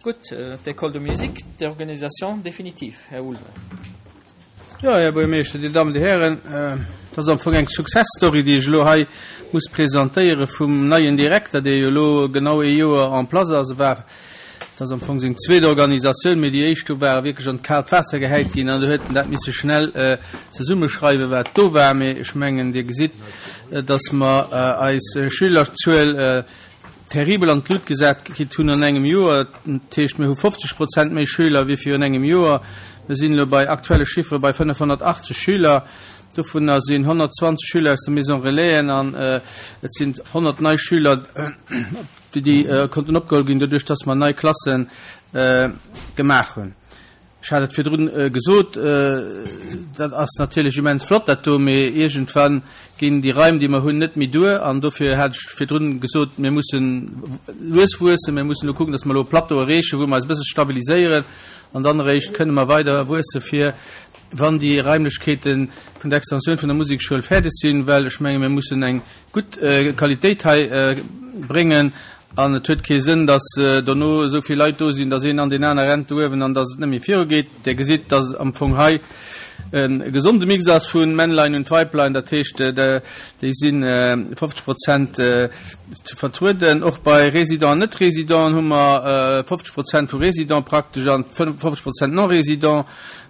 Gutt, d'École de musique, d'Organisation définitive, Här Ulveling. Jo, Här Buergermeeschter, Dir Dammen, Dir Hären, et ass am Fong eng Success Story, déi ech elo hei muss presentéiere vum neien Direkter, dee jo elo genau ee Joer en place ass. E war, et ass am Fong seng zweet Organisatioun, mee déi éischt do ware wierklech an d'kaalt Waasser gehäit ginn an do huet en dat misse schnell zesummeschreiwen, wat do war. Mee ech mengen, Dir gesitt, dass mer eis Schülerzuel terribel an d'Lut gesat kritt hunn an engem Joer. Dat heescht, mir hu 50 Prozent méi Schüler wéi virun engem Joer. Mir sinn elo bei aktuelle Chiffere bei 580 Schüler. Dovunner sinn 120 Schüler aus de Maison Relaisen an et sinn 100 nei Schüler, déi konnten opgeholl ginn, doduerch dass mer nei Klasse gemaach hunn. Ech hat et virdrun gesot, dat ass natierlech immens flott dat do, mee iergendwann ginn déi Raim, déi mer hunn, net méi duer. An dofir hat ech virdrun gesot, mir mussen lues wuessen, mir mussen elo kucken, datt mer elo e Plateau erreechen, wou mer eis e bësse stabiliséieren an dann eréischt kënne mer weider wuesse fir wann déi Raimlechkeete vun der Extensioun vun der Musekschoul fäerdeg sinn, well ech menge mir mussen eng gutt Qualitéit hei bréngen an et huet kee Sënn, dass dono esou vill Leit do sinn, dass een an deen aner rennt do uewen an dass et net méi virugeet. Dir gesitt, dass am Fong hei e gesonde Mix ass vu Männlein und Weiblein, dat heescht, déi si 50 Prozent ze vertrueden. Och bei Résidents an Net-Résidenten hu mer 50 Prozent vu Résidents praktesch an 50 Prozent Non-Résidents.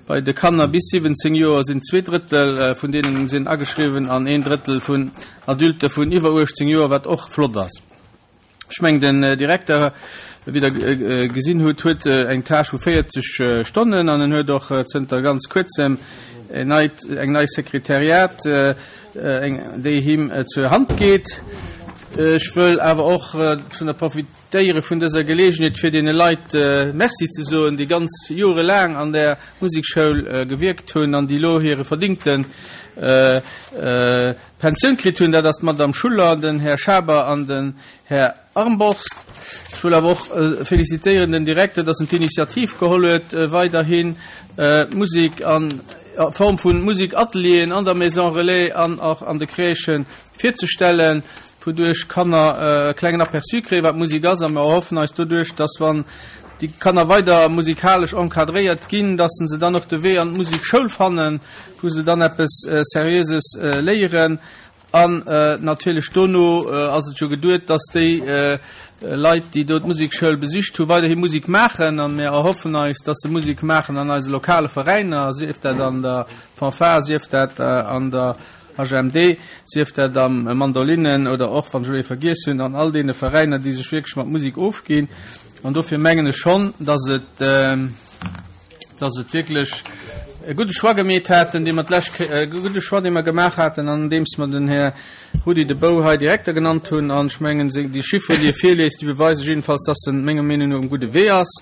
Bei de Kanner bis 17 Joer sinn zweeDrëttel vun deenen sinn ageschriwwen an een Drëttel vun Adulte vun iwwer 18 Joer, wat och flott ass. Ech mengen, den Direkter, wéi Der gesinn hutt, huet eng Tâche vu 40 Stonnen an en huet och zënter ganz Kuerzem en neit, eng nei Sekretariat, déi him zur Hand geet. Ech wëll awer och vun der Déiere vun dëser Geleegenheet fir deene Leit Merci ze soen, déi ganz jorelaang an där Musekschoul gewierkt hunn an déi elo hire verdingte Pensioun kritt hunn. Dat ass d'Madame Schuller, den Här Schaber an den Här Armborst. Ech wëll awer och felicitéieren den Direkter, dass en d'Initiativ geholl huet, weiderhin d'Musek a Form vu Musekatelieren an der Maison Relais an och an de Crèchen virzestellen, wouduerch Kanner e klengen Aperçu kréien, wat Musek ass, a mer erhoffen eis doduerch, dass wann déi Kanner weider musikalesch encadréiert ginn, dass se dann och de Wee an d'Musekschoul fannen, wou se dann eppes Seriöses léieren. An natierlech dono ass et jo geduet, dass déi Leit, déi do d'Musekschoul besicht hu, weiderhi Musek maachen. A mir erhoffen eis, dass se Musek maachen an eise lokale Veräiner, sief dat an der Fanfare, sief dat an der HMD, sief dat am Mandolinnen oder och, wann ech elo ee vergiess hunn, an all deene Veräiner, déi sech wierklech mat Musek ofginn. An dofir mengen ech schonn, dass et, dass et wierklech e gudde Choix gemeet haten, dee mer d'lescht Kéier, e gudde Choix, dee mer gemaach haten, andeems mer den Här Rudi De Bouw hei Direkter genannt hunn. An ech mengen, déi Chifferen, déi e virliest, déi beweise jiddefalls, dass en menger Meenung no um gudde Wee ass.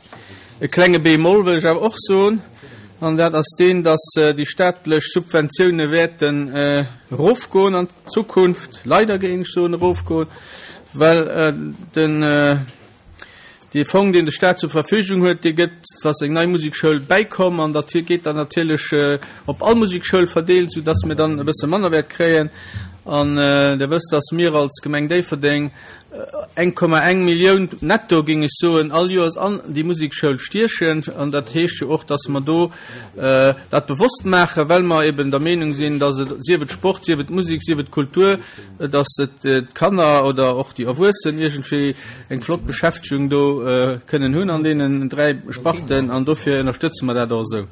E klenge Bémol wëll ech awer och soen, an dat ass deen, dass déi staatlech Subventioune wäerten erofgoen an Zukunft, leider géing ech soen erofgoen, well den dee Fong, deen de Stat zur Verfügung huet, dee gëtt, wa seng nei Musekschoul bäikomm, an dat geet dann natierlech op all Musekschoul verdeelt, soudass mir dann e bësse manner wäert kréien. An Der wësst, dass mir als Gemeng Déifferdeng 1,1 Millioun netto, géing ech soen, all Joers an déi Musekschoul stiechen. An dat heescht jo och, dass mer do dat bewosst maachen, well mer eben der Meenung sinn, dass et, sief et Sport, sief et Musek, sief et Kultur, dass et d'Kanner oder och déi Erwuessen iergendwéi eng flott Beschäftegung do kënnen hunn an deenen dräi Sparten. An dofir ënnerstëtze mer dat och esou.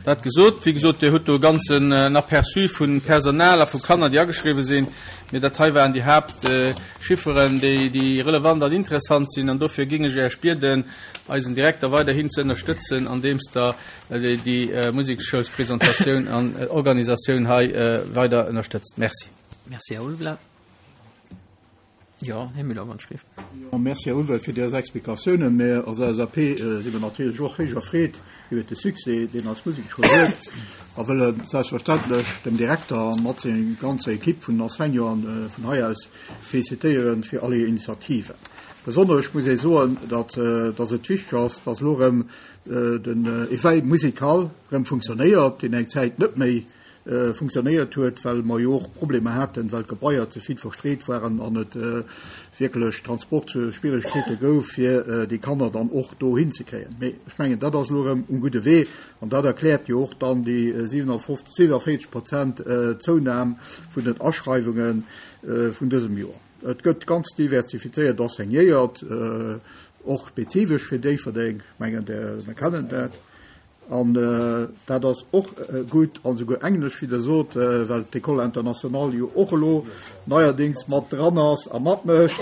Dat gesot, wéi gesot, Dir hutt do e ganzen Aperçu vu Personal a vu Kanner, déi ageschriwwen sinn. Mee dat hei waren déi Haaptchifferen, déi relevant an interessant sinn. An dofir géing ech Iech bieden, eisen Direkter weiderhin ze ënnerstëtzen, andeems Der déi Museksschoulspresentatioun an Organisatioun hei weider ënnerstëtzt. Merci. Merci, Här Ulveling. Jo, Här Müller, wann ech gleef. Jo, merci, Här Ulveling, fir déi Explikatiounen. Mä als LSAP si mer natierlech och héich erfreet iwwert de Succès, deen eis Musekschoul huet, a wëlle selbstverständlech dem Direkter mat senger ganzer Equipe vun Enseignanten vun hei aus félicitéiere fir all hir Initiativen. Besonnesch muss ee soen, datt datt et wichteg ass, datt elo erëm den Éveil musical erëm funktionéiert, deen eng Zäit net méi. funktionéiert huet, well mer jo och Problemer haten, well d'Gebaier ze vill verstreet waren an et wierklech Transportschwierigkeete gouf, fir déi Kanner dann och dohin ze kréien. Mee ech mengen, dat ass elo erëm um gudde Wee an dat erkläert jo och dann déi 57, 47 Prozent Zounam vun den Aschreiwunge vun dësem Joer. Et gëtt ganz diversifizéiert enseignéiert, och spezifesch fir Déifferdeng. Ech mengen, mir kennen dat. An dat ass och gutt, an esouguer Englesch, wéi Der sot, well d'École internationale jo och elo neierdéngs mat dran ass a matmécht.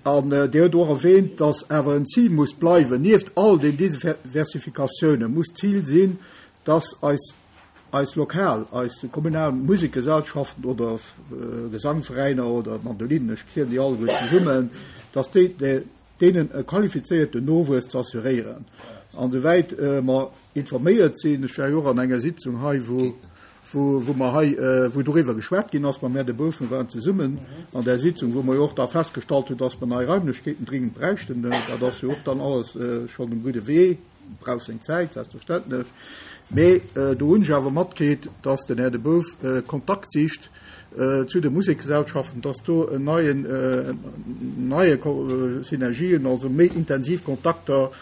An Dir hutt och erwähnt, dass awer en Zil muss bleiwen, nieft all den Diversifikatiounen muss d'Zil sinn, dass eis, eis lokal, eis kommunal Musekgesellschaften oder Gesangveräiner oder Mandolinen, ech zielen déi alleguer zesummen, dass déi, deenen e qualifizéierten Nowuess ze assuréieren. An esouwäit mer informéiert sinn, ech war jo och an enger Sitzung hei, wou, wou mer hei, wou doriwwer geschwat ginn ass mam Här De Boef, mir waren zesummen an där Sitzung, wou mer jo och da festgestallt hunn, dass mer nei Raimlechkeeten dringend bräichten. Dat ass jo och dann alles schonn um gudde Wee. Brauch seng Zäit, selbstverständlech. Mee do hunn ech awer matkritt, dass den Här De Bouf Kontakt sicht zu de Musekgesellschaften, dass do en neien, neie Synergien, also méi intensiv Kontakter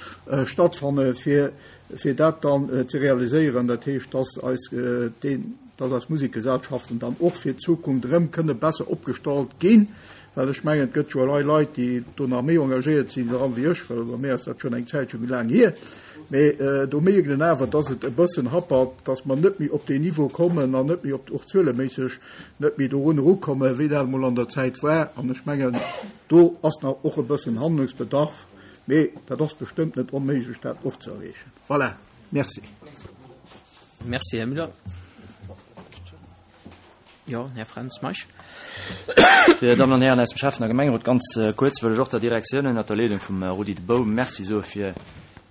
stattfanne fir, fir dat dann ze realiséieren. Dat heescht, dass eis deen, dass eis Musekgesellschaften dann och fir d'Zukunft erëm kënne besser opgestallt ginn. Well ech mengen, et gëtt jo elei Leit, déi do nach méi engagéiert sinn dran wéi ech, well bei mir ass dat schonn eng Zäitche méi laang hier. Mee do mierkt een awer, dass et e bëssen happert, dass mer net méi op deen Niveau kommen an net méi op, och zueleméisseg, net méi dorun erukommen, wéi dat emol an der Zäit war. An ech mengen, do ass nach och e bëssen Handlungsbedarf, mee dat ass bestëmmt net onméiglech, dat och ze erreechen. Voilà, merci. Merci, Här Müller. Jo, Här Fränz Meisch. Dir Dammen an Hären aus dem Schäffen a Gemengerot, ganz kuerz wëll ech och der Direktioun ënnert der Leedung vum Rudi De Bouw Merci soe fir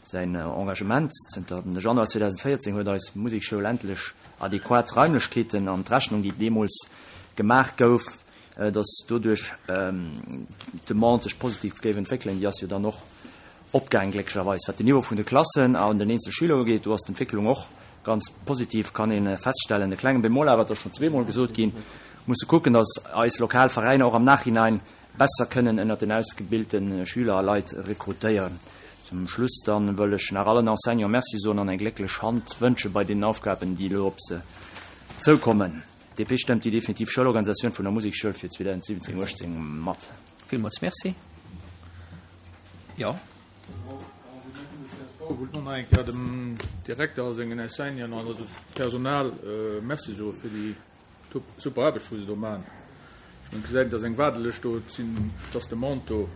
säin Engagement. Zënter dem Januar 2014 huet eis Musekschoul endlech adequat Raimlechkeeten an d'Rechnung, déi deemools gemaach gouf, dass doduerch d'Demande sech positiv géif entwéckelen, déi ass jo dann och opgaang, glécklecherweis. Wat den Niveau vun de Klassen an den eenzel Schüler ugeet, do ass d'Entwécklung och ganz positiv, kann ee feststellen. E klenge Bémol awer, et ass schonn zweemol gesot ginn, musse kucken, dass eis lokal Veräiner och am Nachhinein besser kënnen ënnert den ausgebilte Schüler a Leit rekrutéieren. Zum Schluss dann wëll ech nach allen Enseignants Merci soen an eng glécklech Hand wënsche bei deenen Aufgaben, déi elo op se zoukommen. DP stëmmt déi definitiv Schoulorganisatioun vun der Musekschoul fir 2017, 18 mat. Villmools Merci. Jo. Ech wollt och nach eng Kéier dem Direkter a sengen Enseignanten an also Personal Merci soe fir déi super Aarbecht, wou se do maachen. Ech mengen, et gesäit een, dass eng Waardelëscht do, et sinn, et ass Demande do.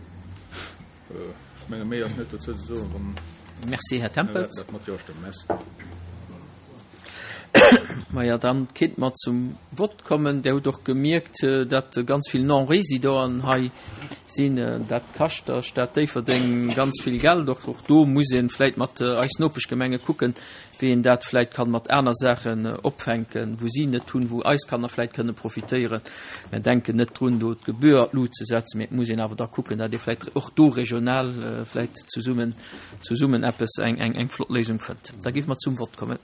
Ech menge méi ass net dozou ze soen, wann Merci, Här Tempels. dat mat Jo stëmmt. Merci. Maja, dann kinnt mer zum Vott kommen. Der hutt och gemierkt, datt ganz vill Non-Résidenten hei sinn. Dat kascht der Stad Déifferdeng ganz vill Geld. Och och do muss ee vläit mat eis Nopeschgemenge kucken, wéi een dat vläit kann mat aner Saachen opfänken, wou si net hunn, wou eis Kanner vläit kënne profitéieren. Mir denken net drun, do d'Gebühr an d'Lut ze setzen, mee et muss een awer da kucken, datt ee vläit och do regional vläit zesummen zesummen eppes, eng eng eng flott Léisung fënnt. Da géife mer zum Vott kommen.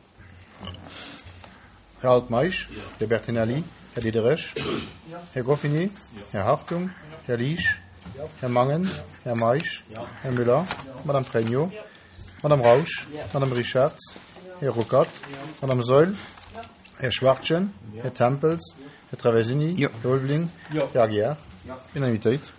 Här Altmeisch, Här Bertinelli, Här Diderich, Här Goffini, Här Hartung, Här Liesch, Här Mangen, Här Meisch, Här Müller, Madame Pregno, Madame Rausch, Madame Richartz, Här Ruckert, Madame Saeul, Här Schwachtgen, Här Tempels, Här Traversini, Här Ulveling, Här Aguiar. Unanimitéit.